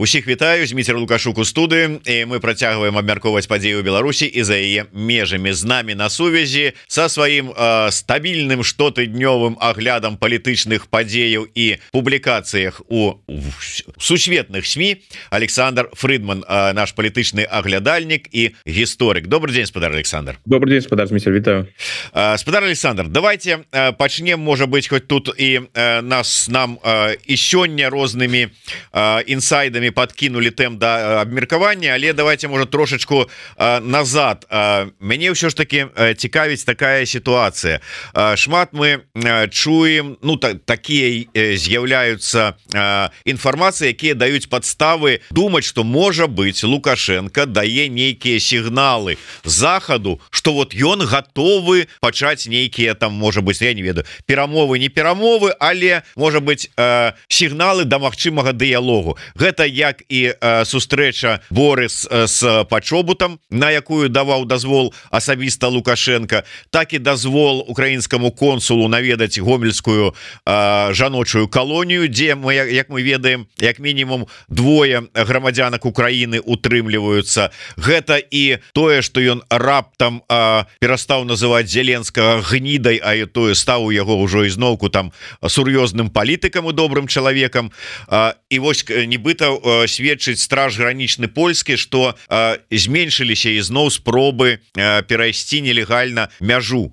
Усіх вітаю, Зміцер Лукашук у студыі, і мы працягваем абмяркоўваць падзеі ў Беларусі і за яе межамі. З намі на сувязі са сваім стабільным штотыднёвым аглядам палітычных падзеяў і публікацыях у сусветных СМІ Александр Фрыдман, наш палітычны аглядальнік і гісторык. Добрый день, спадар Александр. Добрый день, спадар Зміцер, вітаю. Спадар Александр, давайте пачнем, можа быть, хоть тут і нам і сёння рознымі інсайдамі подкинули тэм да абмеркавання, але давайте, может, трошечку назад. Мяне ўсё ж таки цікавіць такая сітуацыя. Шмат мы чуем, ну такія з'яўляюцца інфармацыі, якія даюць падставы думаць, што можа быть Лукашенко дае нейкія сігналы захаду, что вот ён готовы пачаць нейкія там, можа быть, я не ведаю, перамовы, не перамовы, але можа быть сігналы да магчымага дыялогу. Гэта як і сустрэча Борис с Пачобутам, на якую даваў дазвол асабіста Лукашенко, так і дазвол украінскаму консулу наведаць гомельскую жаночую калонію, дзе мы, як мы ведаем, як мінімум двое грамадзянак Украіны утрымліваюцца. Гэта і тое, што ён раптам перастаў называць Зеленскага гнідай, а тое стаў у яго ўжо ізноўку там сур'ёзным палітыкам і добрым чалавекам. І вось нібыта сведчыць страж гранічны польскі, што зменшыліся ізноў спробы перайсці нелегальна мяжу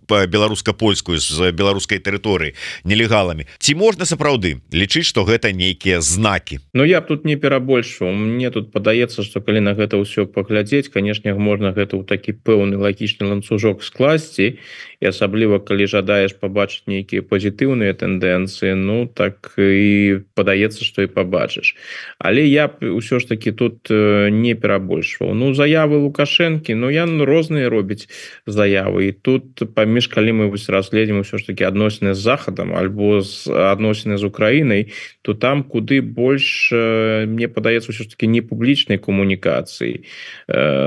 беларуска-польскую з беларускай тэрыторыі нелегаламі. Ці можна сапраўды лічыць, што гэта нейкія знакі? Ну я б тут не перабольшваў. Мне тут падаецца, што калі на гэта ўсё паглядзець, канешне, можна гэта ў такі пэўны лагічны ланцужок скласці, і асабліва калі жадаеш пабачыць нейкія пазітыўныя тэндэнцыі, ну так і падаецца, што і пабачыш. Але я б ўсё ж таки тут не перабольшваў. Ну заявы Лукашэнкі, ну ян розныя робіць заявы, і тут паміж, калі мы разгледзім ўсё ж таки адносіны з захадам альбо адносіны з Украінай, то там куды больш, мне падаецца, ўсё ж таки не публічнай камунікацыі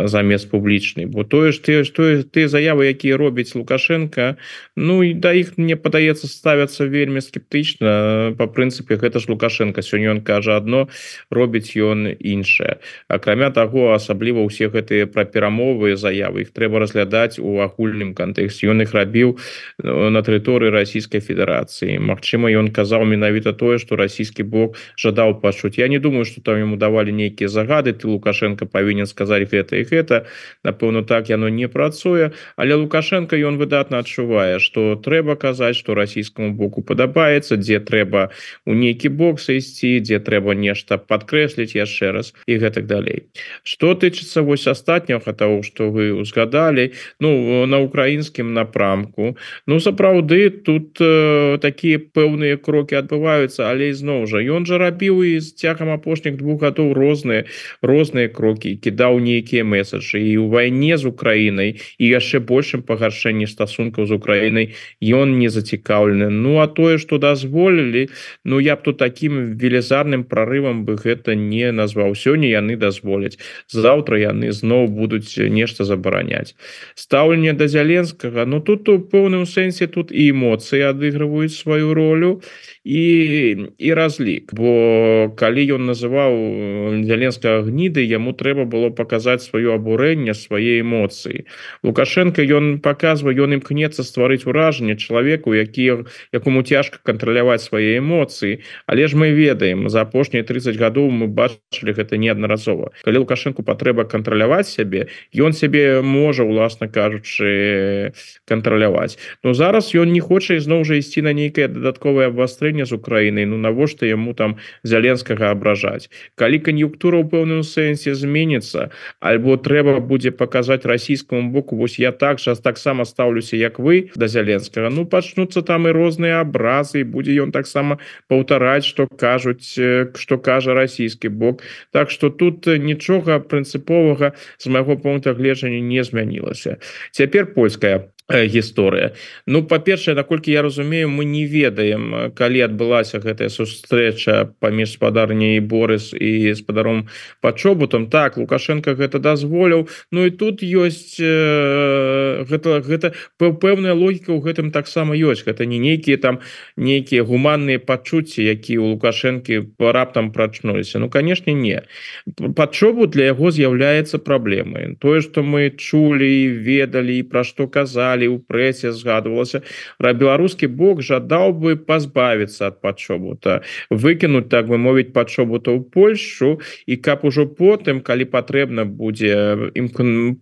замест публічнай, бо тое ж тыя заявы, якія робіць Лукашенко, ну і да іх, мне падаецца, ставяцца вельмі скептычна. Па прынцыпе, гэта ж Лукашенко, сёння ён кажа адно, робіць ён іншае. Акрамя таго, асабліва ўсе гэтыя пра перамовы заявы, іх трэба разглядаць у агульным кантэксце. Ён іх рабіў на тэрыторыі Расійскай Федэрацыі. Магчыма, ён казаў менавіта тое, што расійскі бок жадаў пачуць. Я не думаю, што там яму давалі нейкія загады, ты, Лукашенко, павінен сказаць гэта і гэта. Напэўна, так яно не працуе, але Лукашенко, ён выдатна адчувае, што трэба казаць, што расійскаму боку падабаецца, дзе трэба у нейкі бок сысці, дзе трэба нешта падкрэсліць яшчэ раз і гэтак далей. Што тычыцца вось астатняга таго, што вы узгадалі, ну на украінскім напрамку, ну сапраўды тут такія пэўныя крокі адбываюцца, але ізноў жа ён жа рабіў і з цягам апошніх 2 гадоў розныя крокі, кідаў нейкія месаджы і ў вайне з Украінай і яшчэ большым пагаршэнні стасункаў з Украінай ён не зацікаўлены. Ну а тое, што дазволілі, ну я б тут такім велізарным прарывам бы гэта не назваў. Сёння яны дазволяць, заўтра яны зноў будуць нешта забараняць. Стаўленне да Зеленскага, ну тут у пэўным сэнсе тут і эмоцыі адыгрываюць сваю ролю і разлік, бо калі ён называў Зеленскага гнідай, яму трэба было паказаць сваё абурэнне, свае эмоцыі. Лукашенко, ён паказвае, ён імкнецца стварыць уражанне чалавеку, якому цяжка кантраляваць свае эмоцыі, але ж мы ведаем, за апошнія 30 гадоў мы бачылі гэта неаднаразова. Калі Лукашенку патрэба кантраляваць сябе, ён сябе можа, уласна кажучы, кантраляваць. Но зараз ён не хоча ізноў жа ісці на нейкае дадатковае абвастрэнне з Украінай, ну навошта яму там Зеленскага абражаць. Калі кан'юнктура ў пэўным сэнсе зменіцца, альбо трэба будзе паказаць расійскаму боку, вось я таксама стаўлюся, як вы да Зеленскага, ну пачнуцца там і розныя абразы, і будзе ён таксама паўтараць, што кажа расійскі бок. Так што тут нічога прынцыповага з майго пункта гледжання не змянілася. Цяпер польская гісторыя. Ну, па-першае, наколькі я разумею, мы не ведаем, калі адбылася гэтая сустрэча паміж спадарняй Борыс і спадаром Пачобутам. Так, Лукашенко гэта дазволіў. Ну і тут ёсць гэта пэўная логіка ў гэтым таксама ёсць. Гэта не нейкія там нейкія гуманныя пачуцці, якія у Лукашэнкі раптам прачнуліся. Ну, канешне, не. Пачобут для яго з'яўляецца праблемай. Тое, што мы чулі, ведалі, пра што казалі, у прэсе згадвалася, беларускі бок жадаў бы пазбавіцца ад Пачобута, выкінуць, так бы мовіць, Пачобута ў Польшчу, і каб ужо потым, калі патрэбна будзе ім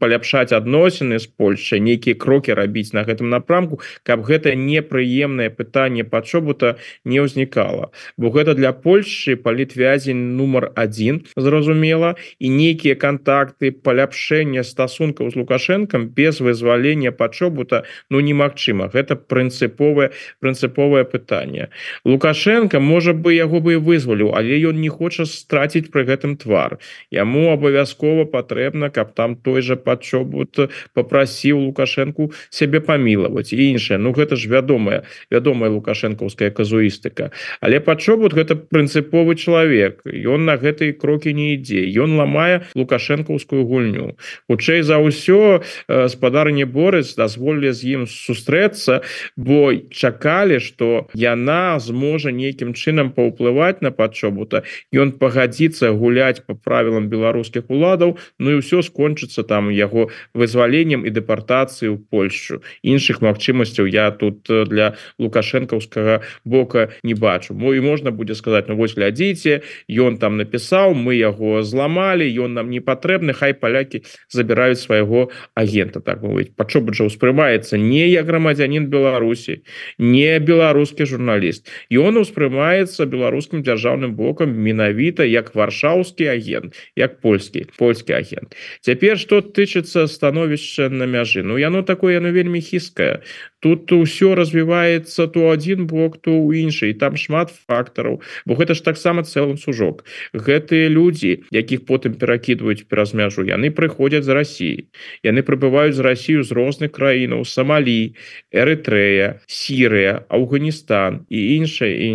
паляпшаць адносіны з Польшчай, нейкія крокі рабіць на гэтым напрамку, каб гэта непрыемнае пытанне Пачобута не ўзнікала. Бо гэта для Польшчы палітвязень нумар 1, зразумела, і нейкія кантакты, паляпшэння стасункаў з Лукашэнкам без вызвалення Пачобута ну немагчыма. Гэта прынцыповае пытанне. Лукашенко можа бы яго бы і вызваліў, але ён не хоча страціць пры гэтым твар. Яму абавязкова патрэбна, каб там той жа Пачобут попрасіў Лукашенку сябе памілаваць і іншае. Ну гэта ж вядомая лукашэнкаўская казуістыка. Але Пачобут гэта прынцыповы чалавек. Ён на гэтыя крокі не ідзе. Ён ламае лукашэнкаўскую гульню. Хутчэй за ўсё спадарня Борыс дазволілі з ім сустрэцца, бо чакалі, што яна зможа нейкім чынам паўплываць на Пачобута, ён пагадзіцца гуляць па правілам беларускіх уладаў, ну і ўсё скончыцца там яго вызваленнем і дэпартацыяй у Польшчу. Іншых магчымасцяў я тут для лукашэнкаўскага бока не бачу. І можна будзе сказаць, ну вось глядзіце, ён там напісаў, мы яго зламалі, ён нам не патрэбны, хай палякі забіраюць свайго агента, так мовіць. Пачобут жа ўспрымаецца не як грамадзянін Беларусі, не беларускі журналіст. Ён успрымаецца беларускім дзяржаўным бокам менавіта як варшаўскі агент, як польскі агент. Цяпер, што тычыцца становішча на мяжы, ну яно такое, яно вельмі хісткае. Тут ўсё развіваецца то адзін бок, то ў іншы, і там шмат фактараў, бо гэта ж таксама цэлы ланцужок. Гэтыя людзі, якіх потым перакідваюць праз мяжу, яны прыходзяць з Расіі. Яны прыбываюць з Расію з розных краінаў, Сомалі, Эрытрэя, Сірыя, Афганістан і іншае.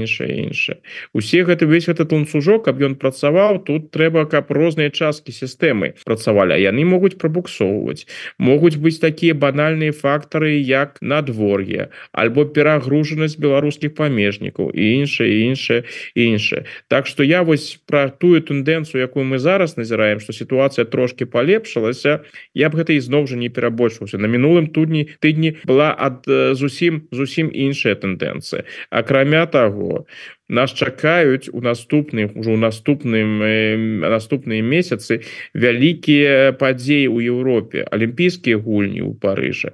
Весь этот ланцужок, каб ён працаваў, тут трэба, каб розныя часткі сістэмы працавалі, а яны могуць прабуксоўваць. Могуць быць такія банальныя фактары, як надвор'е, альбо перагружанасць беларускіх памежнікаў і іншае. Так што я вось пра тую тэндэнцыю, якую мы зараз назіраем, што сітуацыя трошки палепшылася, я б гэта ізноў жа не перабольшваўся. На мінулым тыдні была зусім іншая тэндэнцыя. Акрамя таго, нас чакаюць у наступныя месяцы вялікія падзеі ў Еўропе, алімпійскія гульні ў Парыжы,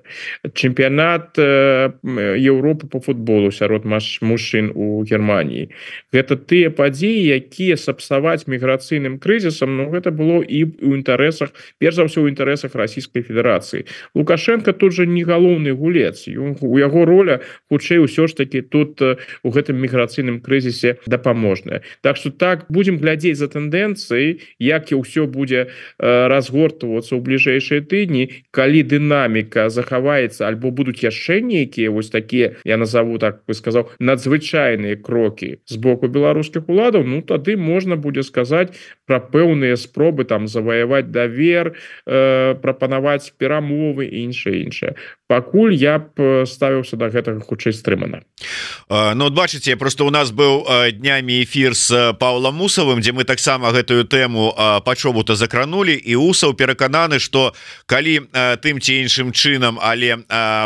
чэмпіянат Еўропы по футболу сярод мужчын у Германіі. Гэта тыя падзеі, якія сапсаваць міграцыйным крызісам, ну гэта было і ў інтарэсах, перш за ўсё ў інтарэсах Расійскай Федэрацыі. Лукашенко тут жа не галоўны гулец, у яго роля хутчэй усё ж таки тут у гэтым міграцыйным крызісе дапаможная. Так што так, будзем глядзець за тэндэнцыяй, як і ўсё будзе разгортвацца ў бліжэйшыя тыдні, калі дынаміка захаваецца, альбо будуць яшчэ нейкія вось такія, я назову, так бы сказаў, надзвычайныя крокі з боку беларускіх уладаў, ну тады можна будзе сказаць пра пэўныя спробы там заваяваць давер, прапанаваць перамовы і іншае. Пакуль я б ставіўся да гэтага хутчэй стрымана. Ну, бачыце, просто у нас быў днямі эфір з Паўлам Усавым, дзе мы таксама гэтую тэму Пачобута закранулі, і Усаў перакананы, што калі тым ці іншым чынам, але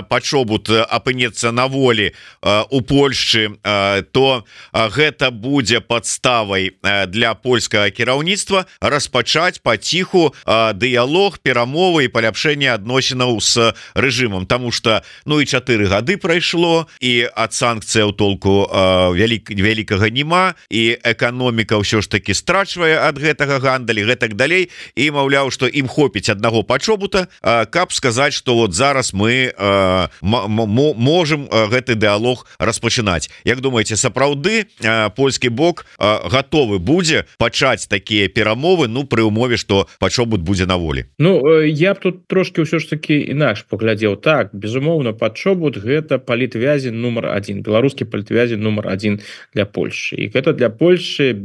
Пачобут апынецца на волі у Польшчы, то гэта будзе падставай для польскага кіраўніцтва распачаць паціху дыялог, перамовы і паляпшэнне адносінаў з рэжымам. Таму што, ну і 4 гады прайшло, і ад санкцыяў толку вялікай вялікага няма і эканоміка ўсё ж таки страчвае ад гэтага гандалі гэтак далей і маўляў што ім хопіць аднаго пачобута каб сказаць что вот зараз мы можем гэты дыалог распачынаць. Як думаете, сапраўды польскі бок готовы будзе пачаць такія перамовы, ну пры умове что пачобут будзе на волі? Ну я б тут трошки ўсё ж таки інакш паглядзеў. Так, безумоўна, пачобут гэта палітвязень нумар 1, беларускі палітвязень нумар 1 для Польши, і гэта для Польши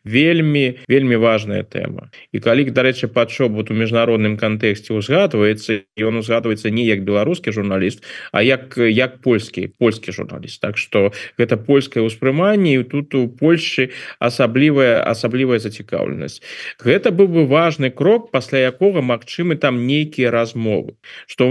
вельмі важная тэма. І калі, дарэчы, пачобут у міжнародным кантэксце узгадваецца, ён узгадваецца не як беларускі журналіст, а як польскі журналіст. Так что гэта польскае ўспрыманне, і тут у Польши асаблівая зацікаўленасць. Гэта быў бы важны крок, пасля якога магчымы там нейкія размовы, што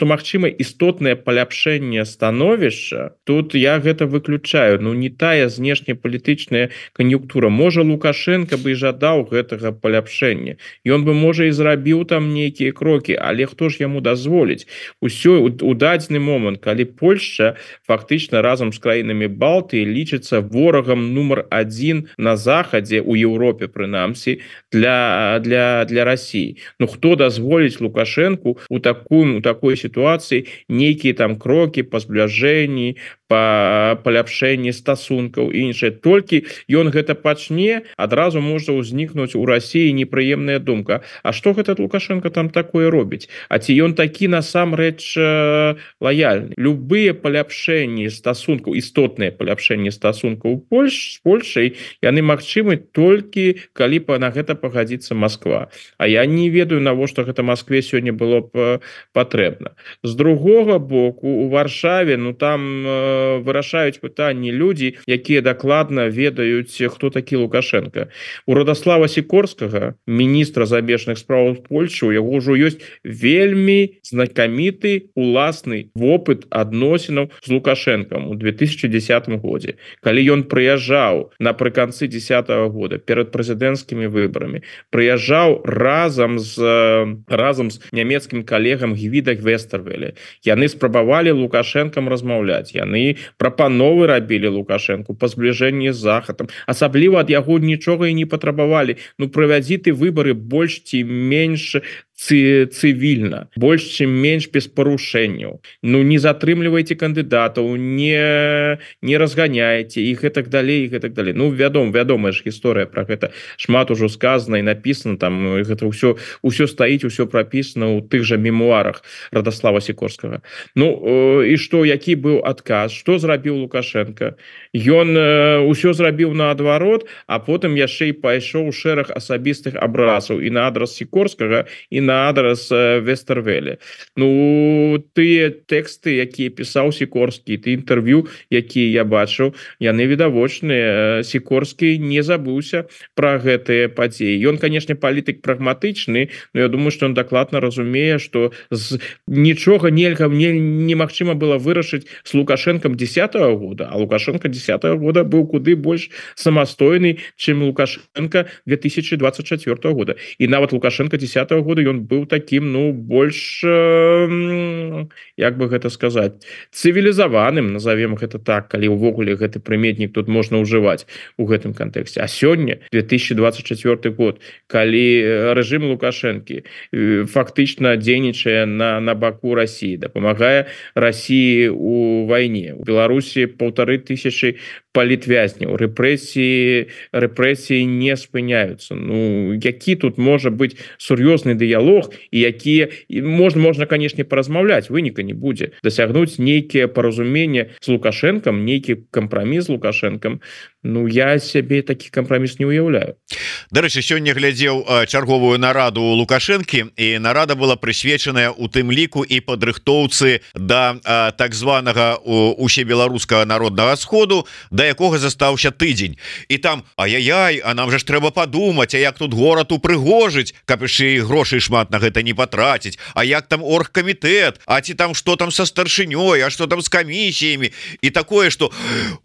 магчыма істотнае паляпшэнне становішча. Тут я гэта выключаю. Ну не тая знешнепалітычная кан'юнктура. Можа, Лукашенко бы і жадаў гэтага паляпшэння, ён бы можа і зрабіў там нейкія крокі, але хто ж яму дазволіць? Усё у дадзены момант, калі Польшча фактычна разам з краінамі Балтыі лічыцца ворагам нумар 1 на захадзе, у Еўропе прынамсі, для России. Ну хто дазволіць Лукашенку у такой ситуации нейкія там крокі па збліжэнні, па паляпшэнні стасункаў і іншае. Толькі ён гэта пачне, адразу можа ўзнікнуць у России непрыемная думка: а што гэта Лукашенко там такое робіць? А ці ён такі насамрэч лаяльны? Любыя паляпшэнні стасункаў, істотныя паляпшэнні стасункаў з Польшай, яны магчымы толькі калі на гэта пагадзіцца Москва. А я не ведаю, навошта гэта Москве сёння было б патрэбна. З другога боку, у Варшаве, ну там вырашаюць пытанні людзі, якія дакладна ведаюць, хто такі Лукашенко. У Радослава Сікорскага, міністра замежных спраў Польши, у яго ўжо ёсць вельмі знакаміты уласны вопыт адносінаў з Лукашенком у 2010 годзе. Калі ён прыязджаў напрыканцы 2010 года перад прэзідэнцкімі выбарамі, прыязджаў разам з нямецкім калегам Гвіда Вестэрвеле. Яны спрабавалі Лукашенкам размаўляць, яны прапановы рабілі Лукашенку па збліжэнні з захадам, асабліва ад яго нічога і не патрабавалі. Ну правядзі ты выбары больш ці менш цывільна, больш чым менш без парушэнняў. Ну не затрымлівайце кандыдатаў, не разганяйце і гэтак далей, і гэтак далей. Ну вядомая ж гісторыя пра гэта, шмат ужо сказана і напісана, там гэта ўсё стаіць, усё прапісана ў тых жа мемуарах Радослава Сікорскага. Ну і што, які быў адказ? Што зрабіў Лукашенко? Ён усё зрабіў наадварот, а потым яшчэ і пайшоў шэраг асабістых абразаў і на адрас Сікорскага, і на адрас Вестэрвеле. Ну тыя тэксты, якія пісаў Сікорскі, ты інтэрв'ю, якія я бачыў, яны відавочныя. Сікорскі не забыўся пра гэтыя падзеі. Ён, канешне, палітык прагматычны, но я думаю, што ён дакладна разумее, што нічога немагчыма было вырашыць з Лукашенком 10-го года, а Лукашенко 10-го года быў куды больш самастойны, чым Лукашенко 2024 года. І нават Лукашенко 10-го года ён быў таким, ну, больш, як бы гэта сказаць, цывілізаваным, назовем гэта так, калі ўвогуле гэты прыметнік тут можна ўжываць у гэтым кантэксце. А сёння 2024 год, калі рэжым Лукашэнкі фактычна дзейнічае на баку России, дапамагае России у вайне. У Беларусі 1500 палітвязняў, рэпрэсіі не спыняюцца. Ну, які тут можа быць сур'ёзны дыялог, і якія можна, канешне, паразмаўляць, выніка не будзе. Дасягнуць нейкія паразуменне з Лукашенком, нейкі кампраміс з Лукашенком, ну, я сябе такі кампраміс не ўяўляю. Дарэчы, сёння глядзеў чарговую нараду Лукашэнкі, і нарада была прысвечаная у тым ліку і падрыхтоўцы да так званага усебеларускага народнага сходу, да якога застаўся тыдзень. І там, ай-яй-яй, а нам же ж трэба падумаць, а як тут горад упрыгожыць, каб яшчэ і грошай шмат на гэта не патраціць, а як там оргкамітэт, а ці там што там са старшынёй, а што там з камісіямі, і такое, што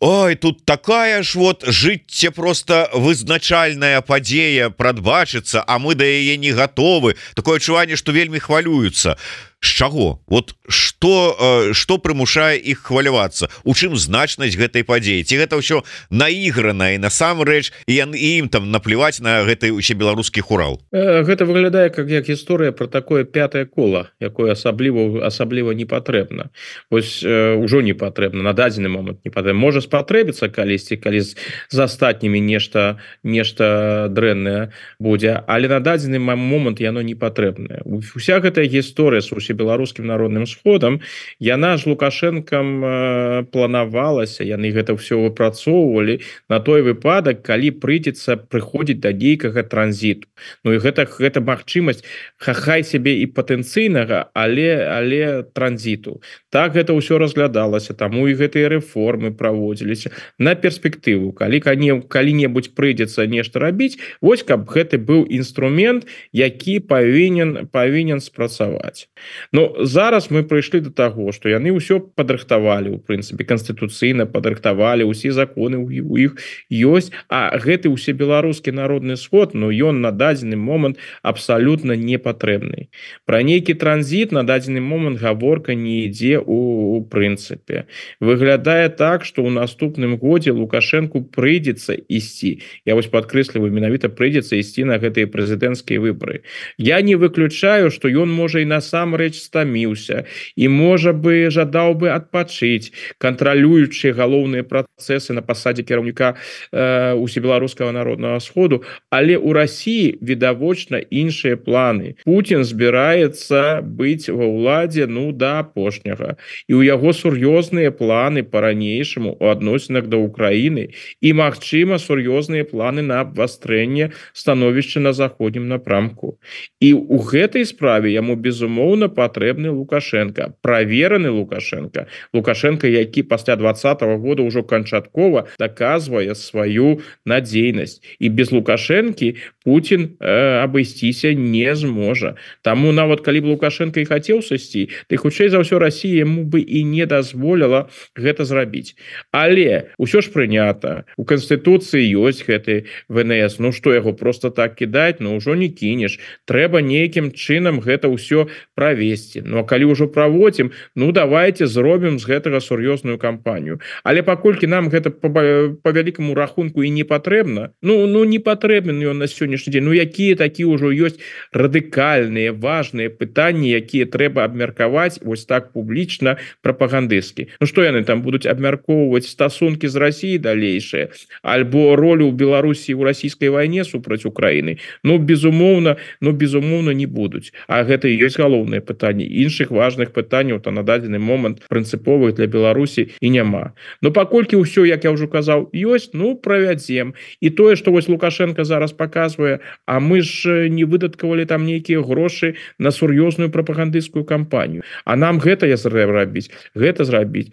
ой, тут такая ж вот жыцця просто вызначальная падзея прадбачыцца, а мы да яе не гатовы. Такое адчуванне, што вельмі хвалююцца. з чаго вот что прымушае іх хвалявацца, у чым значнасць гэтай падзеі, ці гэта ўсё наіграна і насамрэч і ім там наплеваць на гэты усебеларускі хурал? Гэта выглядае как гісторыя про такое пятое кола, якое асабліва не патрэбна. Вось ужо не патрэбна, на дадзены момант не патрэбна. Можа спатрэбіцца калісьці, калі з астатнімі нешта дрэннае будзе, але на дадзены момант яно не патрэбнае. Уся гэтая гісторыя з усебеларускім народным сходам, яна ж Лукашэнкам планавалася, яны гэта все выпрацоўвалі на той выпадак, калі прыйдзецца прыходзіць да нейкага транзіту. Ну і гэта магчымасць хай сябе і патэнцыйнага, але транзіту. Так гэта ўсё разглядалася, таму і гэтыя рэформы праводзіліся на перспектыву. Калі-небудзь прыйдзецца нешта рабіць, вось каб гэты быў інструмент, які павінен спрацаваць. Но зараз мы прыйшлі до таго, што яны ўсё падрыхтавалі, у прынцыпе, канстытуцыйна падрыхтавалі, усе законы у іх ёсць, а гэты усебеларускі народны сход, ну ён на дадзены момант абсалютна не патрэбны. Пра нейкі транзіт на дадзены момант гаворка не ідзе у прынцыпе. Выглядае так, што ў наступным годзе Лукашэнку прыйдзецца ісці. Я вось падкрэсліваю, менавіта прыйдзецца ісці на гэтыя прэзідэнцкія выбары. Я не выключаю, што ён можа і насамрэч стаміўся, і можа бы жадаў бы адпачыць, кантралюючы галоўныя працэсы на пасадзе кіраўніка усебеларускага народнага сходу, але ў Расіі відавочна іншыя планы. Путін збіраецца быць ва ўладзе да апошняга. І ў яго сур'ёзныя планы па-ранейшаму у адносінах да Украіны і, магчыма, сур'ёзныя планы на абвастрэнне становішча на заходнім напрамку. І ў гэтай справе яму, безумоўна, патрэбны Лукашенко, правераны Лукашенко, які пасля 2020 года ўжо канчаткова даказвае сваю надзейнасць. І без Лукашэнкі Путін абысціся не зможа. Таму нават калі б Лукашенко і хацеў сысці, то хутчэй за ўсё Расія яму бы і не дазволіла гэта зрабіць. Але ўсё ж прынята. У Канстытуцыі ёсць гэты ВНС. Ну што, яго просто так кідаць? Ну ўжо не кінеш. Трэба нейкім чынам гэта ўсё правесці. Ну а калі ўжо праводзім, ну давайте зробім з гэтага сур'ёзную кампанію. Але паколькі нам гэта по вялікаму рахунку і не патрэбна, ну не патрэбен ён на сённяшні дзень. Ну якія такі ўжо ёсць радыкальныя, важныя пытанні, якія трэба абмеркаваць вось так публічна, прапагандысцкі. Ну што яны там будуць абмяркоўваць стасункі з Расіяй далейшыя, альбо ролю ў Беларусі ў расійскай вайне супраць Украіны? Ну безумоўна не будуць. А гэта і ёсць галоўнае пытанне. Іншых важных пытанняў на дадзены момант прынцыповых для Беларусі і няма. Но паколькі ўсё, як я ўжо казаў, ёсць, ну правядзем. І тое, што вось Лукашенко зараз паказвае, а мы ж не выдаткавалі там нейкія грошы на сур'ёзную прапагандысцкую кампанію. А нам гэта зрабіць.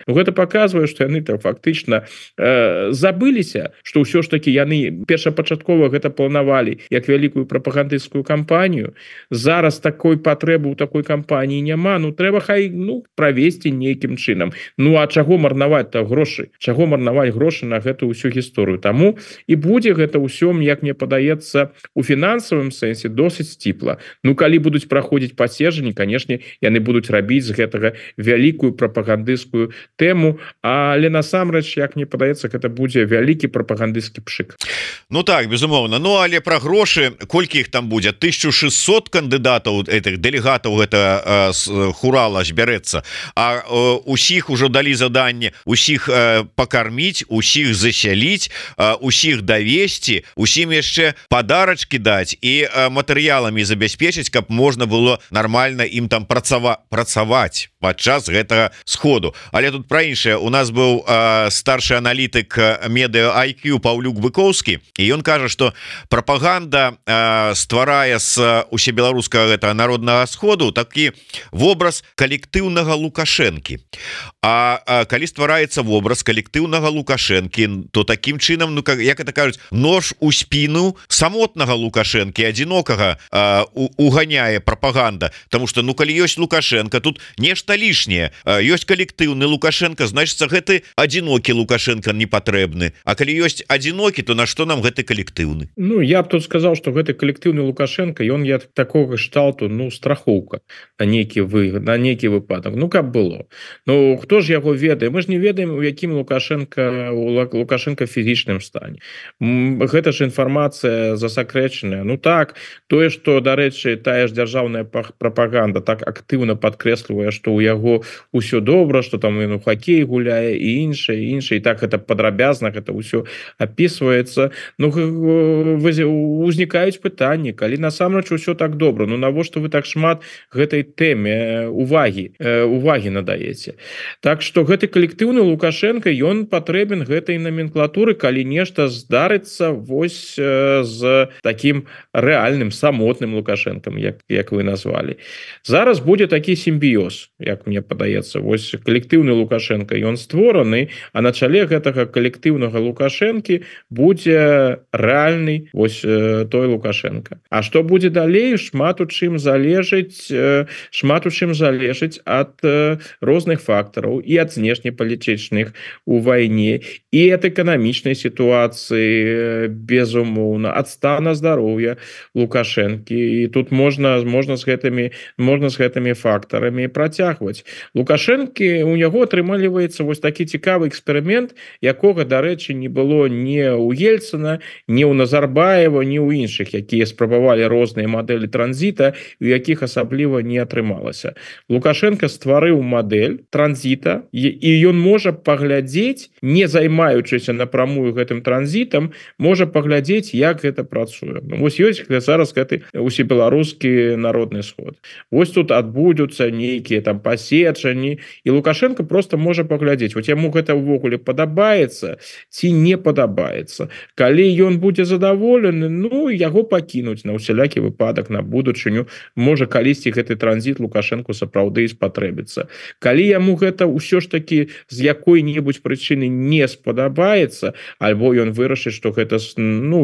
Ну, гэта паказвае, што яны там фактычна забыліся, што ўсё ж такі яны першапачаткова гэта планавалі як вялікую прапагандысцкую кампанію. Зараз такой патрэбы ў такой кампаніі няма. Ну трэба хай правесці нейкім чынам. Ну а чаго марнаваць-то грошы? Чаго марнаваць грошы на гэтую ўсю гісторыю? Таму і будзе гэта ўсё, як мне падаецца, у фінансавым сэнсе досыць сціпла. Ну калі будуць праходзіць паседжанні, канешне, яны будуць рабіць з гэтага вялікую прапагандысцкую тэму, але насамрэч, як мне падаецца, гэта будзе вялікі прапагандысцкі пшык. Ну так, безумоўна. Ну але пра грошы, колькі іх там будзе? 1600 кандыдатаў, этих дэлегатаў гэта хурала збярэцца, а усіх ужо далі заданне, усіх пакарміць, усіх засяліць, усіх давесці, усім яшчэ падарачкі даць і матэрыяламі забяспечыць, каб можна было нармальна ім там працаваць падчас гэтага сходу. Але тут пра іншае. У нас быў старшы аналітык медыа IQ Паўлюк Быкоўскі, і ён кажа, што прапаганда стварае з усебеларускага гэтага народнага сходу такі вобраз калектыўнага Лукашэнкі. А калі ствараецца вобраз калектыўнага Лукашэнкі, то такім чынам, ну як это кажуць, нож у спіну самотнага Лукашэнкі, адзінокага уганяе прапаганда. Таму што калі ёсць Лукашенко, тут нешта лішняе. Ёсць калектыўны Лукашенко, значыцца гэты адзінокі Лукашенко не патрэбны. А калі ёсць адзінокі, то на што нам гэты калектыўны? Ну я б тут сказаў, што гэты калектыўны Лукашенко, ён такога кшталту, страхоўка. нейкі выпадак, ну каб было. Ну хто ж яго ведае, мы ж не ведаем, у якім Лукашенко фізічным стане. Гэта ж інфармацыя засакрэчаная. Ну так, тое што, дарэчы, тая ж дзяржаўная прапаганда так актыўна падкрэслівае, што ў яго ўсё добра, што там ён у хакей гуляе і іншае, і так гэта падрабязна, гэта ўсё опісваецца. Ну узнікаюць пытанні, калі насамрэч усё так добра, ну навошта вы так шмат гэтай тэме увагі надаеце. Так што гэты калектыўны Лукашенко, ён патрэбен гэтай номенклатуры, калі нешта здарыцца вось з таким рэальным самотным Лукашенком, як вы назвалі. Зараз будзе такі сімбіёз, як мне падаецца. Вось калектыўны Лукашенко, ён створаны, а на чале гэтага калектыўнага Лукашенкі будзе рэальны вось той Лукашенко. А што будзе далей? Шмат у чым залежыць ад розных фактараў і ад знешнепалітычных у вайне, і ад эканамічнай сітуацыі, безумоўна, ад стана здароўя Лукашэнкі. І тут можна з гэтымі фактарамі працягваць. Лукашэнкі, у яго атрымліваецца вось такі цікавы эксперымент, якога, дарэчы, не было ні ў Ельцына, ні ў Назарбаева, ні ў іншых, якія спрабавалі розныя мадэлі транзіта, у якіх асабліва не атрымалася. Лукашенко стварыў мадэль транзіта, і ён можа паглядзець, не займаючыся напрамую гэтым транзітам, можа паглядзець, як гэта працуе. Вось ёсць зараз гэты усебеларускі народны сход. Вось тут адбудуцца нейкія там пасечані, і Лукашенко просто можа паглядзець, вот яму гэта ўвогуле падабаецца ці не падабаецца. Калі ён будзе задаволены, ну яго пакінуць на ўсялякі выпадак на будучыню, можа калісьці гэты транзіт Лукашенко сапраўды і спатрэбіцца. Калі яму гэта ўсё ж такі з якой-небудзь прычыны не спадабаецца, альбо ён вырашыць, што гэта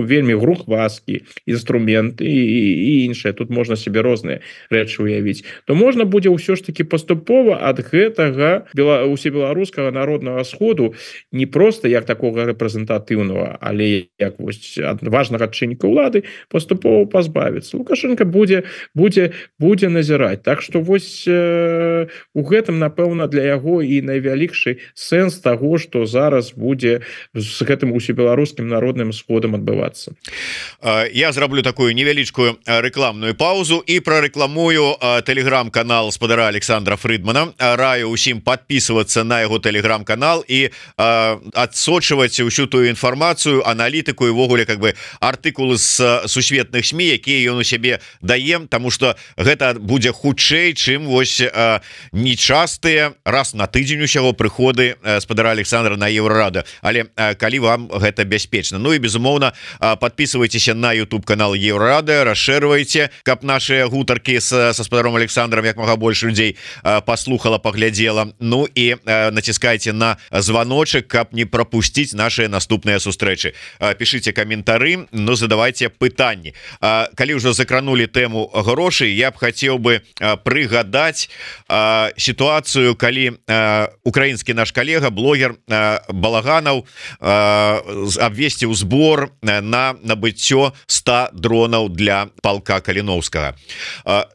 вельмі грухвасткі інструмент і іншае, тут можна себе розныя рэчы уявіць, то можна будзе ўсё ж такі паступова ад гэтага усебеларускага народнага сходу не проста як такога рэпрэзентатыўнага, але як вось ад важнага чынніка ўлады паступова пазбавіцца. Лукашенко будзе назіраць. Так што вось у гэтым, напэўна, для яго і найвялікшы сэнс таго, што зараз будзе з гэтым усебеларускім народным сходам адбывацца. Я зраблю такую невялічкую рэкламную паузу і прарэкламую тэлеграм-канал спадара Александра Фрыдмана. Раю ўсім подписываться на яго тэлеграм-канал і адсочваць усю тую інфармацыю, аналітыку і ввогуле как бы артыкулы з сусветных СМІ, якія ён у сябе дае, тому что гэта будзе хутчэй, чым вось нечастыя раз на тыдзень усяго прыходы спадара Александра на Еўрарада. Але калі вам гэта бяспечна. Ну і безумоўна, подписывайтеся на YouTube канал Еўрарада, расшэрвайце, каб наши гутаркі со спадаром Александром як мага больш людзей паслухала, паглядзела. Ну і націскайце на званочек, каб не пропусціць наши наступныя сустрэчы. Пішыце каментары, ну задавайте пытанні. Калі ўжо закранули тэму грошай, я б хацеў бы прыгадаць сітуацыю, калі украінскі наш калега, блогер Балаганаў абвесціў збор на набыццё 100 дронаў для палка Каліноўскага.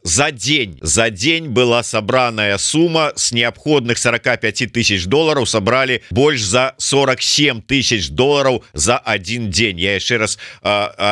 За дзень была сабраная сума з неабходных 45 тысяч долларов, сабралі больш за 47 тысяч долларов за один дзень. Я яшчэ раз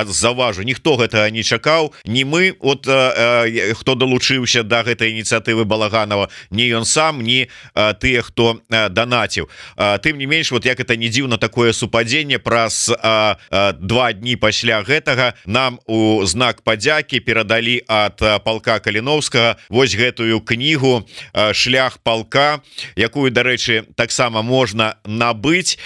заўважу, ніхто гэтага не чакаў, не мы, от хто далучыўся да гэтай ініцыятывы Балаганова, не ён сам, не тыя, хто данаціў. Тым не менш, вот як это не дзіўна, такое супадзенне, праз 2 дні пасля гэтага нам у знак падзякі перадалі ад палка Каліноўскага вось гэтую кнігу «Шлях палка», якую, дарэчы, таксама можна набыць,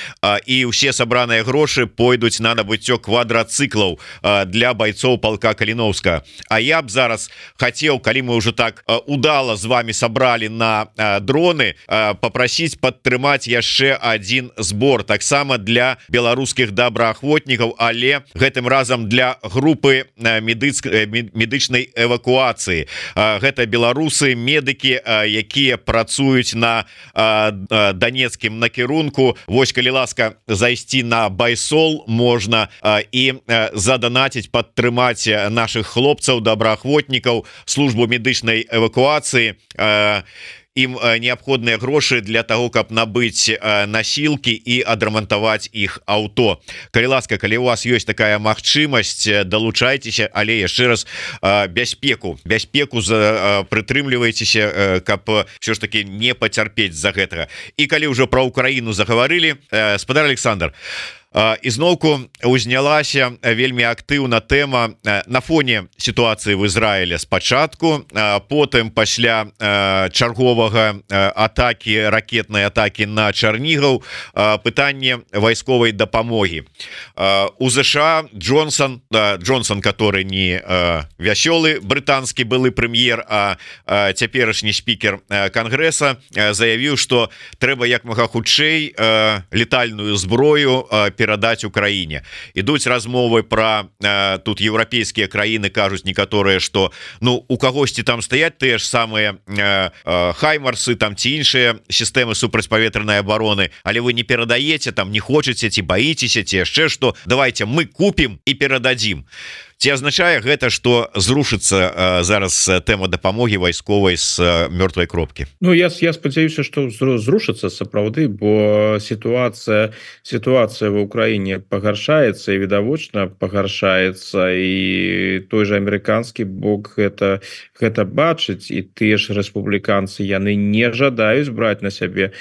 і ўсе сабраныя грошы пойдуць на набыццё квадрацыклаў для байцоў палка Каліноўскага. А я б зараз хацеў, калі мы ўжо так удала з вами сабралі на дроны, папрасіць падтрымаць яшчэ один збор, таксама для беларускіх добраахвотнікаў, але гэтым разам для групы медычнай эвакуацыі. Гэта беларусы, медыкі, якія працуюць на данецкім накірунку. Вось, калі ласка, зайсці на Байсол можна і заданаціць, падтрымаць наших хлопцаў, добраахвотнікаў, службу медычнай поўнай эвакуацыі ім неабходныя грошы для того, каб набыць насілкі і адрамантаваць іх аўто. Калі ласка, калі у вас ёсць такая магчымасць, далучайцеся, але яшчэ раз бяспеку прытрымлівайцеся, каб все ж таки не пацярпець за гэтага. І калі ўжо пра Украіну загаварылі, спадар Александр, ізноўку узнялася вельмі актыўна тэма на фоне сітуацыі в Ізраіле спачатку, потым пасля чарговага атакі, ракетнай атакі на Чарнігаў, пытанне вайсковай дапамогі. У ЗША Джонсон, который не вясёлы брытанскі былы прэм'ер, а цяперашні спікер Кангрэса, заявіў, што трэба як мага хутчэй летальную зброю перадаць Украіне. Ідуць размовы пра тут еўрапейскія краіны, кажуць некаторыя, што у кагосьці там стаяць тыя ж самыя хаймарсы там ці іншыя сістэмы супрацьпаветранай абароны, але вы не перадаеце, там не хочаце ці баіцеся, ці яшчэ што, давайте мы купім і перададзім. Ці азначае гэта, што зрушыцца зараз тэма дапамогі вайсковай з мёртвай кропкі? Я спадзяюся, што зрушыцца сапраўды, бо сітуацыя ва ўкраіне пагаршаецца і відавочна пагаршаецца, і той же амерыканскі бок гэта бачыць, і тыя ж рэспубліканцы яны не жадаюць браць на сябе,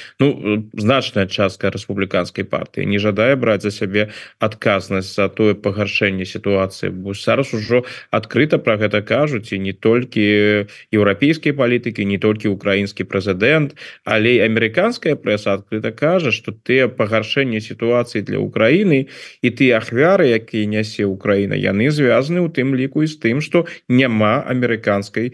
значная частка рэспубліканскай партыі не жадае браць за сябе адказнасць за тое пагаршэнне сітуацыі, бо зараз ужо адкрыта пра гэта кажуць, і не толькі еўрапейскія палітыкі, не толькі украінскі прэзідэнт, але і амерыканская прэса адкрыта кажа, што тыя пагаршэнне сітуацыі для Украіны і тыя ахвяры, якія нясе Украіна, яны звязаны ў тым ліку і з тым, што няма амерыканскай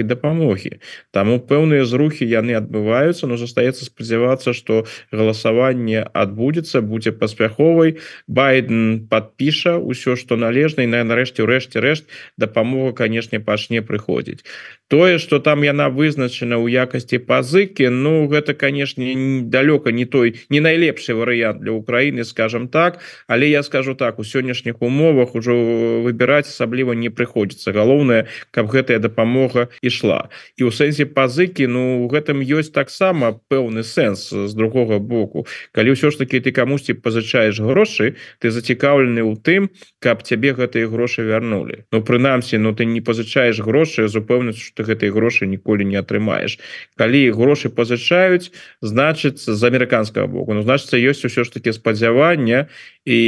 дапамогі. Таму пэўныя зрухі яны адбываюцца, но застаецца спадзявацца, што галасаванне адбудзецца, будзе паспяховай, Байден падпіша ўсё, што належна, і нарэшце рэшт дапамога, канешне, пачне прыходзіць. Тое, што там яна вызначана ў якасці пазыкі, гэта, канешне, далёка не найлепшы варыянт для Украіны, скажем так, але я скажу так, у сённяшніх умовах ужо выбіраць асабліва не прыходзіцца. Галоўнае, каб гэтая дапамога ішла. І ў сэнсе пазыкі, у гэтым ёсць таксама пэўны сэнс з другога боку. Калі ўсё ж такі ты камусьці пазычаеш грошы, ты зацікаўлены ў тым, каб цябе гэтыя грошы вярнулі. Прынамсі, ты не пазычаеш грошы з упэўненасцю, што ты гэтыя грошы ніколі не атрымаеш. Калі грошы пазычаюць, значыцца, з амерыканскага боку, значыцца, ёсць усё ж такі спадзяванне і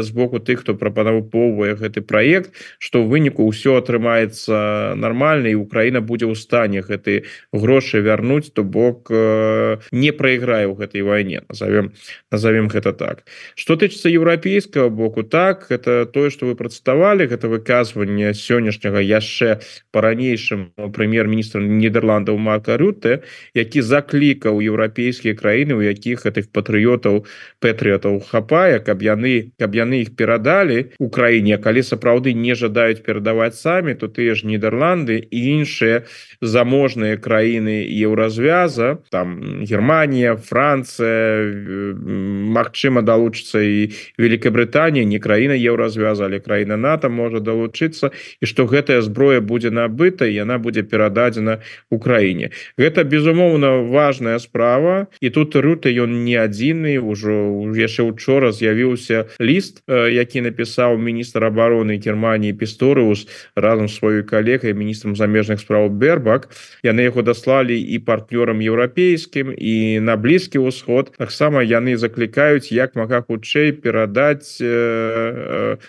з боку тых, хто прапановвае гэты праект, што ў выніку ўсё атрымаецца нармальна, і Украіна будзе ў стане гэты грошы вярнуць, то бок не прайграе ў гэтай вайне, назовем гэта так. Што тычыцца еўрапейскага боку, так, гэта тое, што вы працытавалі, гэта выказванне сённяшняга яшчэ па-ранейшым прэм'ер-міністра Нідерландаў Марка Рютэ, які заклікаў еўрапейскія краіны, у якіх гэтых патрыётаў хапае, каб яны іх перадалі Украіне, калі сапраўды не жадаюць перадаваць самі, то тыя ж Нідерланды і іншыя заможныя краіны еўразвяза, там Германія, Францыя, магчыма далучыцца і Великабрытанія, не краіна еўразвяза, але краіна НАТО можа далучыцца, і што гэтая зброя будзе набыта, і яна будзе перададзена Украіне. Гэта, безумоўна, важная справа, і тут Рютэ ён не адзіны, ужо яшчэ учора з'явіўся ліст, які напісаў міністр абароны Германії Пісторыус разам з сваёй калегай, міністрам замежных спраў Бербак. Яны яго даслалі і партнёрам еўрапейскім, і на Блізкі ўсход. Таксама яны заклікаюць як мага хутчэй перадаць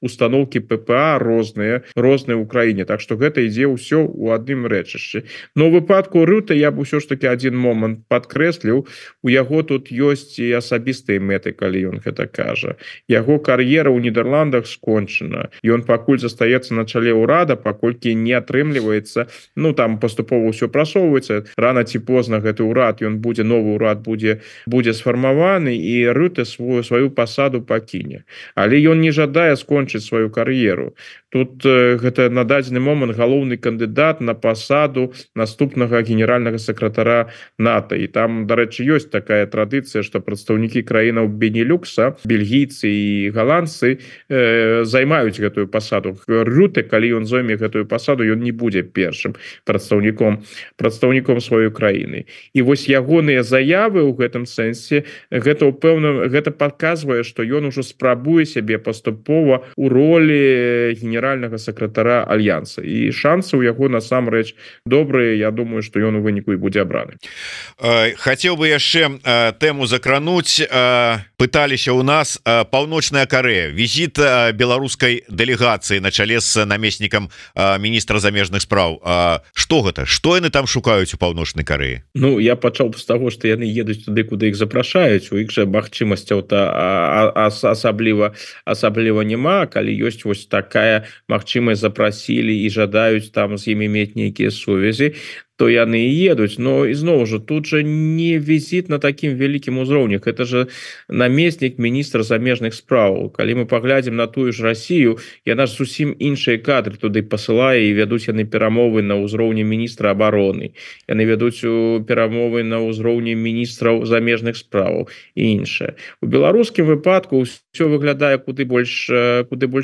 установкі ППА розныя ў краіне. Так што гэта ідзе ўсё ў адным рэчышчы. Но ў выпадку Рютэ я б усё ж таки адзін момант падкрэсліў, у яго тут ёсць і асабістыя мэты, калі ён гэта кажа. Яго кар'ера ў Нідерландах скончана. Ён пакуль застаецца на чале ўрада, паколькі не атрымліваецца, там паступова ўсё прасоўваецца, рана ці позна гэты ўрад, новы ўрад будзе сфармаваны, і Рютэ сваю пасаду пакіне. Але ён не жадае скончыць сваю кар'еру. тут гэта на дадзены момант галоўны кандыдат на пасаду наступнага генеральнага сакратара НАТО. І там, дарэчы, ёсць такая традыцыя, што прадстаўнікі краінаў Бенелюкса, бельгійцы і галандцы займаюць гэтую пасаду. Рюте, калі ён зойме гэтую пасаду, ён не будзе першым прадстаўніком сваёй краіны. І вось ягоныя заявы ў гэтым сэнсе гэта паказвае, што ён ужо спрабуе сябе паступова у ролі генеральнага сакратара альянса. І шансы ў яго насамрэч добрыя. Я думаю, што ён у выніку і будзе абраны. Хацеў бы яшчэ тэму закрануць. Пыталіся ў нас Паўночная Карэя, візіт беларускай дэлегацыі на чале з намеснікам міністра замежных спраў. Што гэта? Што яны там шукаюць у Паўночнай Карэі? Ну, я пачаў з таго, што яны едуць туды, куды іх запрашаюць. У іх жа магчымасцяў-то асабліва няма. Калі ёсць вось такая магчымасць, запрасілі і жадаюць там з імі мець нейкія сувязі, то яны і едуць. Но ізноў жа, тут жа не візіт на такім вялікім узроўні. Гэта же намеснік міністра замежных спраў. Калі мы паглядзім на тую ж Расію, яна ж зусім іншыя кадры туды пасылае, і вядуць яны перамовы на ўзроўні міністра абароны. Яны вядуць перамовы на ўзроўні міністраў замежных спраў і іншае. У беларускім выпадку ўсё выглядае куды больш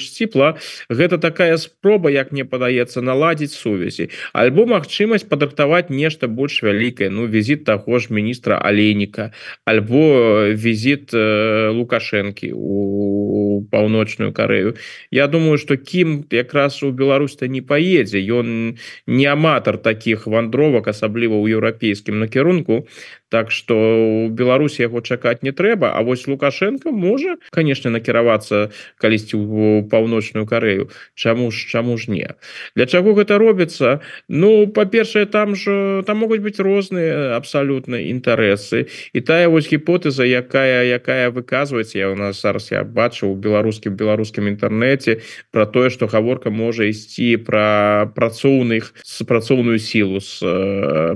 сціпла. Гэта такая спроба, як мне падаецца, наладзіць сувязі. Альбо магчымасць падрыхтаваць нешта больш вялікае. Ну, візіт таго ж міністра Алейніка, альбо візіт Лукашэнкі у Паўночную Карэю. Я думаю, што Кім якраз у Беларусь-то не паедзе. Ён не аматар такіх вандровак, асабліва ў еўрапейскім накірунку. Так што ў Беларусі яго чакаць не трэба. А вось Лукашенко можа, канешне, накіравацца калісьці ў Паўночную Карэю. Чаму ж не? Для чаго гэта робіцца? Ну, па-першае, там могуць быць розныя абсалютна інтарэсы. І тая вось гіпотэза, якая выказваецца, я бачыў у беларускім інтэрнэце пра тое, што гаворка можа ісці пра працоўную сілу з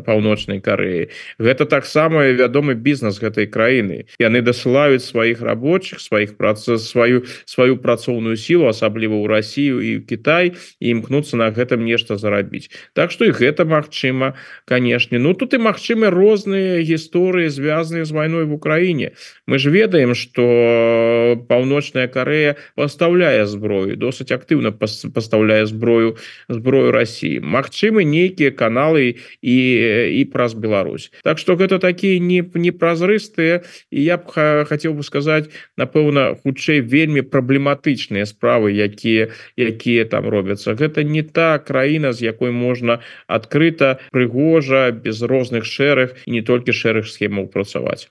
Паўночнай Карэі. Гэта таксама вядомы бізнес гэтай краіны. Яны дасылаюць сваіх рабочых, сваю працоўную сілу, асабліва ў Расію і ў Кітай, і імкнуцца на гэтым нешта зарабіць. Так што і гэта магчыма, канешне. Ну, тут і магчымы розныя гісторыі, звязаныя з вайной в Украіне. Мы ж ведаем, што Паўночная Карэя пастаўляе зброю, досыць актыўна пастаўляе зброю Расіі. Магчымы нейкія каналы і праз Беларусь. Так што гэта такія непразрыстыя, і я б хацеў бы сказаць, напэўна, хутчэй вельмі праблематычныя справы, якія там робяцца. Гэта не та краіна, з якой можна адкрыта, прыгожа, без розных шэрых і не толькі шэрых схемаў працаваць.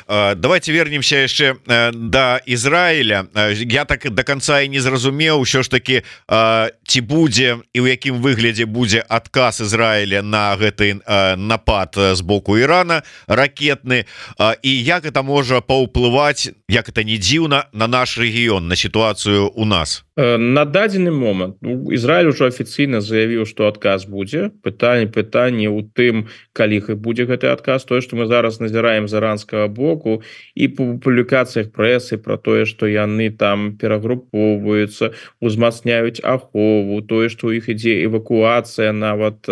Давайте вернемся яшчэ да Ізраіля. Я так до конца і не зразумеў, ўсё ж таки, ці будзе і ў якім выглядзе будзе адказ Ізраіля на гэты напад з боку Ірана ракетны, і як это можа паўплываць, як это не дзіўна, на наш рэгіён, на сітуацыю у нас. На дадзены момант Ізраіль ужо афіцыйна заявіў, што адказ будзе. Пытанне ў тым, калі будзе гэты адказ. Тое, што мы зараз назіраем з іранскага боку, і па публікацыях прэсы пра тое, што яны там перагруповваюцца, узмацняюць ахову, тое, што ў іх ідзе эвакуацыя нават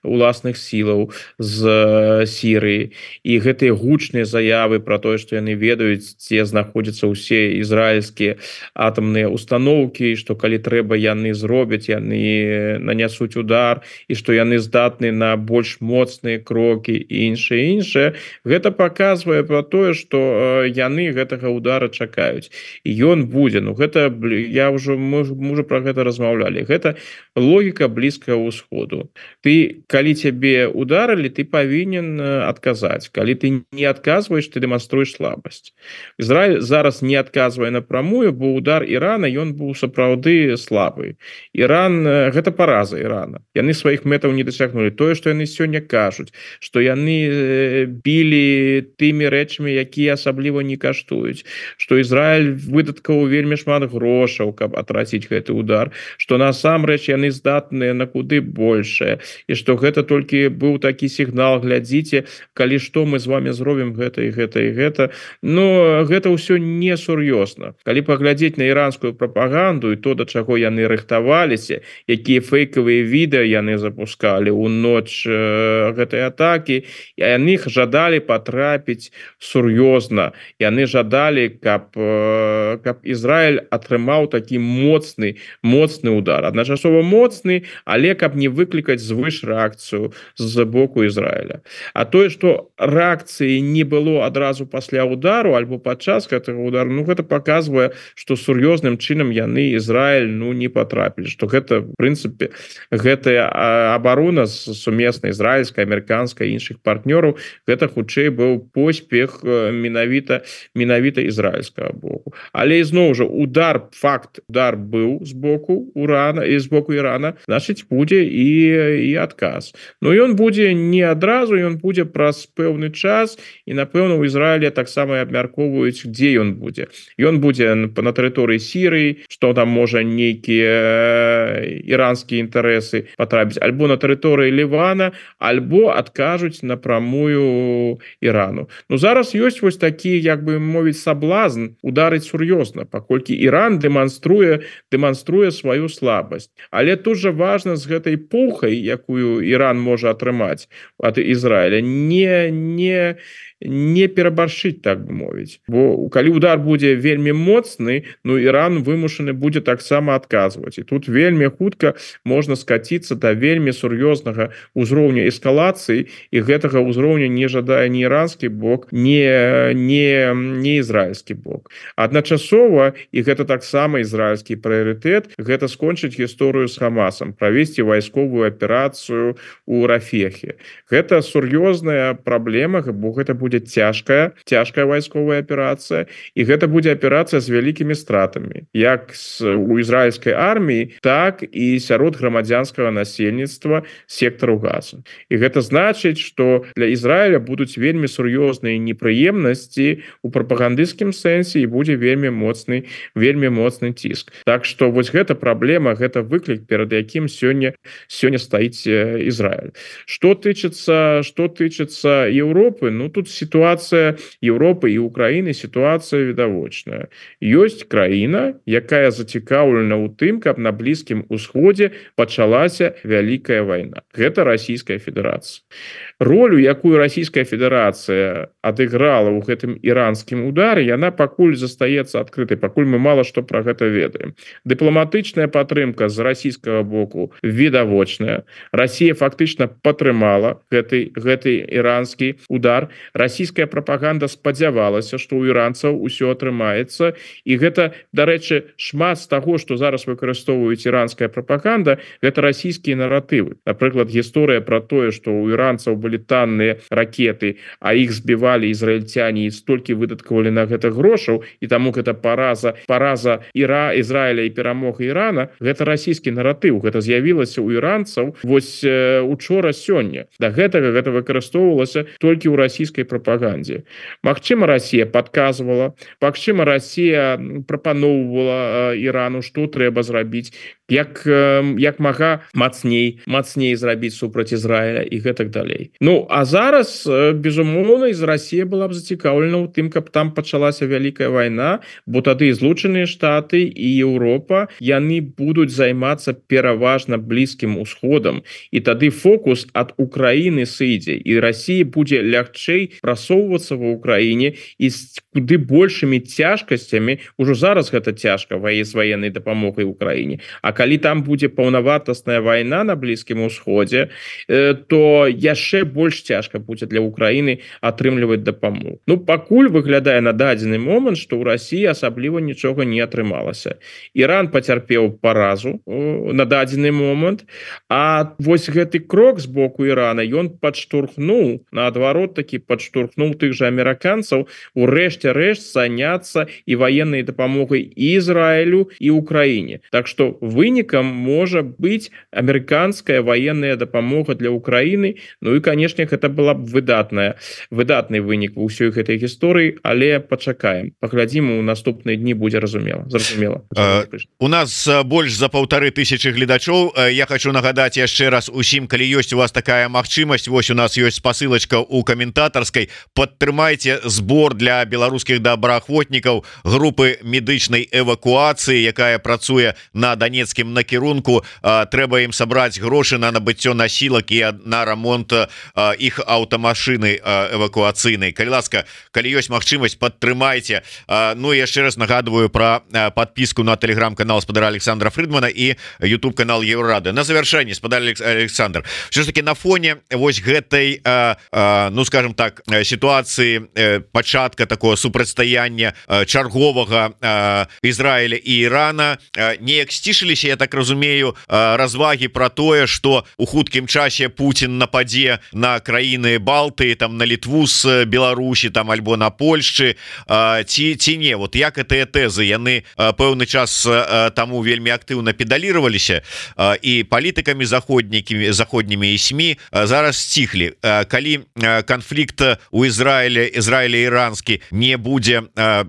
уласных сілаў з Сірыі. І гэтыя гучныя заявы пра тое, што яны ведаюць, дзе знаходзяцца ўсе ізраільскія атамныя установкі, што калі трэба, яны зробяць, яны нанясуць удар, і што яны здатны на больш моцныя крокі і іншае. Гэта паказвае пра тое, што яны гэтага удара чакаюць. І ён будзе. Ну, гэта, мы ўжо пра гэта размаўлялі. Гэта логіка Блізкага ўсходу. Калі цябе ударылі, ты павінен адказаць. Калі ты не адказваеш, ты дэманструеш слабасць. Ізраіль зараз не адказвае напрамую, бо удар Ірана, ён быў сапраўды слабы. Іран, гэта параза Ірана. Яны сваіх мэтаў не дасягнулі. Тое, што яны сёння кажуць, што яны білі тымі рэчамі, якія асабліва не каштуюць, што Ізраіль выдаткаваў вельмі шмат грошаў, каб атраціць гэты удар, што насамрэч яны здатныя на куды большае, і што гэта толькі быў такі сігнал: глядзіце, калі што, мы з вами зробім гэта і гэта і гэта. Но гэта ўсё несур'ёзна. Калі паглядзець на іранскую прапаганду, прапаганду і то, да чаго яны рыхтаваліся, якія фейкавыя відэа яны запускалі ў ноч гэтай атакі, і яны жадалі патрапіць сур'ёзна. Яны жадалі, каб Ізраіль атрымаў такі моцны удар. Адначасова моцны, але каб не выклікаць звыш рэакцыю з боку Ізраіля. А тое, што рэакцыі не было адразу пасля удару альбо падчас гэтага удару, гэта паказвае, што сур'ёзным чынам яны Ізраіль не патрапілі, што гэта в прынцыпе гэтая абарона сумесна ізраільская, амерыканская, іншых партнёраў, гэта хутчэй быў поспех менавіта ізраільскага боку. Але ізноў жа удар быў з боку Ірана, значыць будзе і адказ. Ён будзе не адразу, ён будзе праз пэўны час, і напэўна у Ізраіле таксама абмяркоўваюць, дзе ён будзе. Ён будзе на тэрыторыі Сірыі, што там можа нейкія іранскія інтарэсы патрапіць, альбо на тэрыторыі Лівана, альбо адкажуць напрамую Ірану. Зараз ёсць вось такі, як бы мовіць, саблазн ударыць сур'ёзна, паколькі Іран дэманструе сваю слабасць. Але тут жа важна з гэтай пухай, якую Іран можа атрымаць ад Ізраіля, не перабаршыць, так бы мовіць. Бо калі удар будзе вельмі моцны, Іран вымушаны будзе таксама адказваць. І тут вельмі хутка можна скаціцца да вельмі сур'ёзнага ўзроўня эскалацыі, і гэтага ўзроўня не жадае ні іранскі бок, не ізраільскі бок. Адначасова, і гэта таксама ізраільскі прыярытэт, гэта скончыць гісторыю з Хамасам, правесці вайсковую аперацыю ў Рафехе. Гэта сур'ёзная праблема, бо гэта будзе цяжкая вайсковая аперацыя, і гэта будзе аперацыя з вялікімі стратамі, як у ізраільскай арміі, так і сярод грамадзянскага насельніцтва сектару Газа. І гэта значыць, што для Ізраіля будуць вельмі сур'ёзныя непрыемнасці у прапагандысцкім сэнсе, і будзе вельмі моцны ціск. Так што вось гэта праблема, гэта выклік, перад якім сёння стаіць Ізраіль. Што тычыцца Еўропы, тут сітуацыя Еўропы і Украіны, сітуацыя відавочная. Ёсць краіна, якая зацікаўлена ў тым, каб на Блізкім Усходзе пачалася вялікая вайна. Гэта Расійская Федэрацыя. Ролю, якую Расійская Федэрацыя адыграла ў гэтым іранскім удары, яна пакуль застаецца адкрытай, пакуль мы мала што пра гэта ведаем. Дыпламатычная падтрымка з расійскага боку відавочная. Расія фактычна падтрымала гэты іранскі удар. Расійская прапаганда спадзявалася, што ў іранцаў усё атрымаецца, і гэта, дарэчы, шмат з таго, што зараз выкарыстоўваюць іранская прапаганда, гэта расійскія наратывы. Напрыклад, гісторыя пра тое, што ў іранцаў былі танныя ракеты, а іх збівалі ізраільцяне і столькі выдаткавалі на гэта грошаў, і таму гэта параза Ізраіля і перамога Ірана, гэта расійскі наратыў, гэта з'явілася ў іранцаў вось учора сёння. Да гэтага гэта выкарыстоўвалася толькі ў расійскай прапагандзе. Магчыма, Расія падказвала, магчыма, Расія прапаноўвала Ірану, што трэба зрабіць, як мага мацней зрабіць супраць Ізраіля і гэтак далей. А зараз, безумоўна, Расія была б зацікаўлена ў тым, каб там пачалася вялікая вайна, бо тады Злучаныя Штаты і Еўропа, яны будуць займацца пераважна Блізкім Усходам, і тады фокус ад Украіны сыдзе, і Расія будзе лягчэй прасоўвацца ва Ўкраіне і з куды большымі цяжкасцямі, ужо зараз гэта цяжка з ваеннай дапамогай Украіне, а калі там будзе паўнавартасная вайна на Блізкім Усходзе, то яшчэ больш цяжка будзе для Украіны атрымліваць дапамогу. Пакуль выглядае на дадзены момант, што ў Расіі асабліва нічога не атрымалася. Іран пацярпеў паразу на дадзены момант, а вось гэты крок з боку Ірана, ён падштурхнуў, наадварот такі падштурхнуў тых жа амерыканцаў у рэшце рэшт заняцца і ваеннай дапамогай і Ізраілю, і Украіне. Так што вынікам можа быць амерыканская ваенная дапамога для Украіны, і, канешне, гэта была б выдатны вынік у ўсёй гэтай гісторыі, але пачакаем. Паглядзім, у наступныя дні будзе зразумела. У нас больш за 1500 гледачоў. Я хочу нагадаць яшчэ раз усім, калі ёсць у вас такая магчымасць, вось у нас ёсць спасылачка ў каментатарскай, ласкай, падтрымайце збор для беларускіх добраахвотнікаў групы медычнай эвакуацыі, якая працуе на данецкім накірунку. Трэба ім сабраць грошы на набыццё насілак і на рамонт іх аўтамашыны эвакуацыйнай. Калі ласка, калі ёсць магчымасць, падтрымайце. Ну і яшчэ раз нагадываю про подписку на телеграм-канал спадара Александра Фридмана і YouTube канал Еврорады. На завершэнне, спадар Александр, все ж таки на фоне вось гэтай ну скажем так ситуации пачатка такого супрацьстаяння чарговага Израиля и Ирана неяк сцішыліся, я так разумею, развагі про тое, что у хуткім часе Путин нападзе на краіны Балты, там на Літву с Беларусі, там альбо на Польшчы, ці не, вот як гэтыя тэзы яны пэўны час таму вельмі актыўна педалироваліся і палітыкамі заходнімі і СМІ зараз сціхлі. Калі канфлікт у Израиле іранскі не будзе,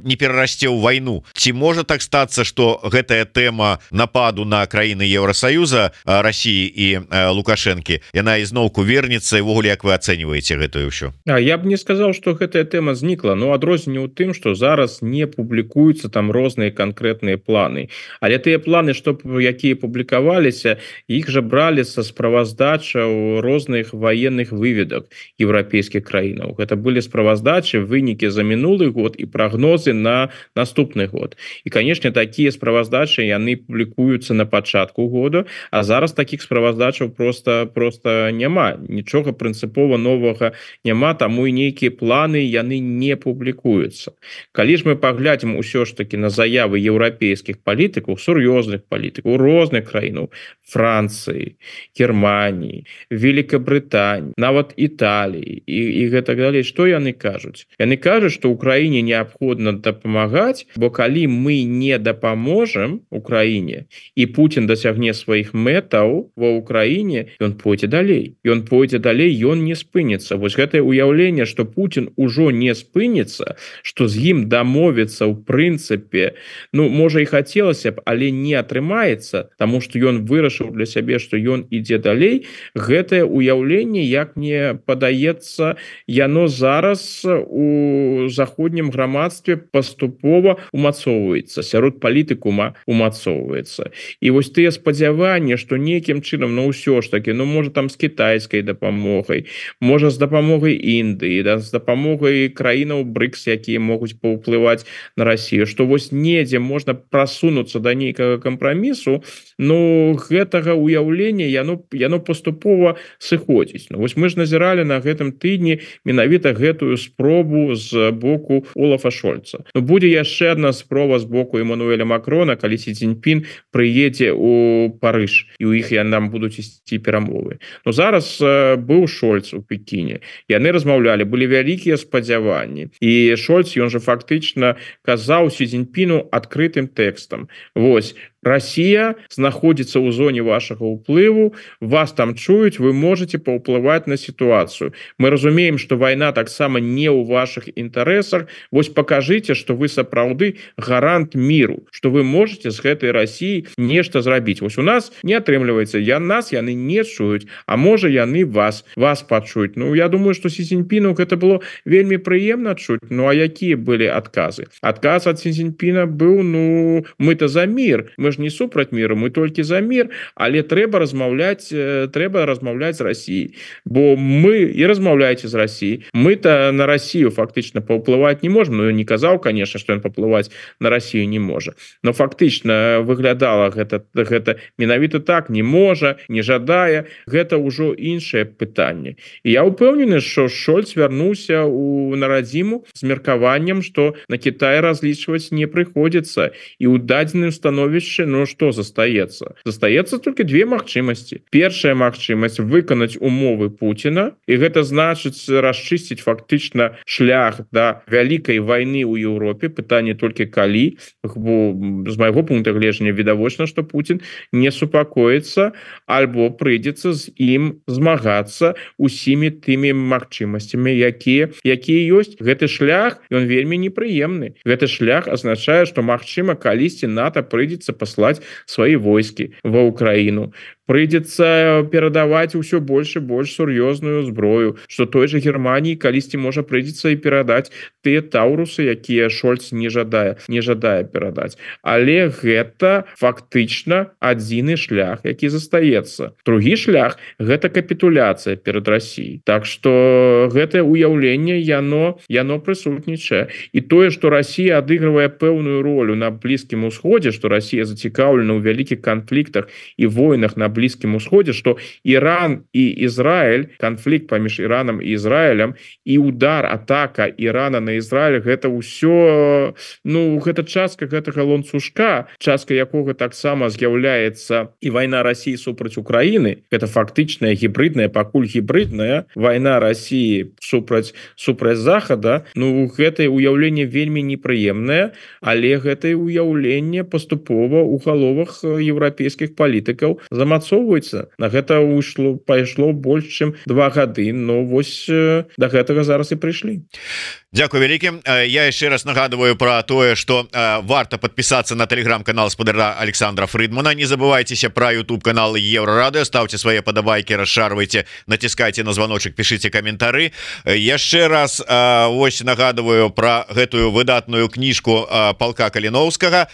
не перарасце ў вайну, ці можа так стацца, что гэтая тэма нападу на краіны Еўросаюза, России і Лукашэнкі, яна ізноўку вернецца, і ввогуле як вы ацэньваеце гэтую ўсё? Я б не сказал, что гэтая тэма знікла, но адрозненне ў тым, что зараз не публікуюцца там розныя канкрэтныя планы, але тыя планы, што якія публікаваліся, іх жа бралі са справаздачаў розных военных выведак еўрапейскіх краінаў. Гэта былі справаздачы, вынікі за минулый год і прагнозы на наступны год. І, канешне, такія справаздачы яны публікуюцца на пачатку года, а зараз такіх справаздачаў просто няма. Нічога прынцыпова новага няма, таму і нейкія планы яны не публікуюцца. Калі ж мы паглядзім усё ж таки на заявы еўрапейскіх палітыкаў, сур'ёзных палітыкаў, розных краінаў, Францыі, Германії, Великабрытаніі, нават Італіі і гэтак далей, што яны кажуць? Яны кажуць, што Украіне неабходна дапамагаць, бо калі мы не дапаможам Украіне і Путін дасягне сваіх мэтаў ва Украіне, ён пойдзе далей. Ён пойдзе далей, ён не спыніцца. Вось гэтае ўяўленне, што Путін ужо не спыніцца, што з ім дамовіцца ў прынцыпе, ну, можа і хацелася б, але не атрымаецца, таму што ён вырашыў для сябе, што ён ідзе далей, гэтае ўяўленне, як мне падаецца, яно зараз у заходнім грамадстве паступова умацоўваецца, сярод палітыкума умацоўваецца. І вось тыя спадзяванні, што нейкім чынам, ну ўсё ж таки, ну можа там з кітайскай дапамогай, можа з дапамогай Індыі, да, з дапамогай краінаў БРИКС, якія могуць паўплываць на Расію, што вось недзе можна прасунуцца да нейкага кампрамісу, ну гэтага ўяўлення яно паступова сыходзіць. Ну, вось мы ж назіралі на гэтым тыдні менавіта гэтую спробу з боку Олафа Шольца. Ну, будзе яшчэ адна спроба з боку Эммануэля Макрона, калі Сі Цзіньпін прыедзе у Парыж, і ў іх нам будуць ісці перамовы. Ну, зараз быў Шольц у Пекіне. Яны размаўлялі, былі вялікія спадзяванні. І Шольц, ён жа фактычна казаў Сі Цзіньпіну адкрытым тэкстам. Вось, Россия знаходзіцца ў зоне вашага ўплыву, вас там чуюць, вы можете паўплываць на сітуацыю. Мы разумеем, што вайна таксама не ў вашых інтарэсах. Вось пакажыце, што вы сапраўды гарант міру, што вы можете з гэтай Россией нешта зрабіць. Вось у нас не атрымліваецца, нас яны не чуюць, а можа яны вас пачуюць. Ну, я думаю, што Сі Цзіньпіну гэта было вельмі прыемна чуць. Ну, а якія былі адказы? Адказ ад Сі Цзіньпіна быў, ну, мы-то за мір, мы ж не супраць міру, мы толькі за мір, але трэба размаўляць з Расіяй, бо мы і размаўляеце з Расіяй, мы-то на Расію фактычна паўплываць не можем. Ну, не казаў, конечно, што ён паўплываць на Расію не можа, но фактычна выглядала гэта менавіта так, не можа, не жадае, гэта ўжо іншае пытанне. І я ўпэўнены, што Шольц вярнуўся на радзіму з меркаваннем, што на Кітай разлічваць не прыходзіцца, і ў дадзеным становішчы, ну што застаецца? Застаецца толькі две магчымасці. Першая магчымасць выканаць умовы Пуціна, і гэта значыць расчысціць фактычна шлях да вялікай вайны ў Еўропе. Пытанне толькі калі, бо з майго пункта гледжання відавочна, што Путін не супакоіцца, альбо прыйдзецца з ім змагацца усімі тымі магчымасцямі, якія ёсць. Гэты шлях, ён вельмі непрыемны. Гэты шлях азначае, што магчыма калісьці НАТО прыйдзецца паслаць свае войскі ва Украіну. прыйдзецца перадаваць усё больш і больш сур'ёзную зброю, што той же Германії калісьці можа прыйдзецца і перадаць тыя таўрусы, якія Шольц не жадае перадаць. Але гэта фактычна адзіны шлях, які застаецца. Другі шлях гэта капітуляцыя перад Расіяй. Так што гэтае ўяўленне яно прысутнічае. І тое, што Расія адыгрывае пэўную ролю на Блізкім Усходзе, што Расія зацікаўлена ў вялікіх канфліктах і войнах на Блізкім Усходзе, што Іран і Ізраіль, канфлікт паміж Іранам і Ізраілем і удар, атака Ірана на Ізраіль, гэта ўсё, гэта частка гэтага ланцужка, частка якога таксама з'яўляецца і вайна Расіі супраць Украіны. Гэта фактычная гібридная, пакуль гібридная вайна Расіі супраць Захада. Гэтае ўяўленне вельмі непрыемнае, але гэтае ўяўленне паступова ў галовах еўрапейскіх палітыкаў замацоўваецца. На гэта пайшло больш чым 2 гады, вось да гэтага зараз і прыйшлі. Дякую вялікі. Я яшчэ раз нагадываю про тое, что варта подписаться на телеграм-канал спадара Александра Фридмана. Не забывайтеся про YouTube канал Еврорадио, ставьте свои подобайки, расшарвайте, натискайте на звоночек, пишите комментары. Яшчэ раз вось нагадываю про гэтую выдатную кніжку полка Каліновскага.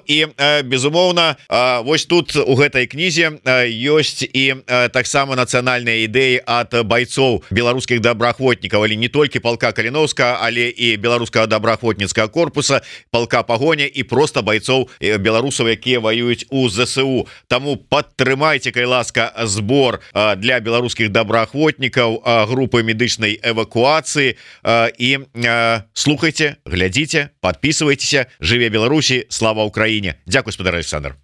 І безумоўна, вось тут у гэтай кнізе ёсць і таксама нацыянальныя ідэі ад байцоў беларускіх добраахвотнікаў, але не толькі полка Каліновскага, але і беларускага добраахвотніцкага корпуса, полка Пагоня і просто байцоў беларусаў, якія воююць у ЗСУ. Таму падтрымайце, калі ласка, збор для беларускіх добраахвотнікаў, групы медычнай эвакуацыі, і слухайте, глядзіце, подписывайтеся. Жыве Беларусі, слава Украіне. Дзякуй, спадар Александр.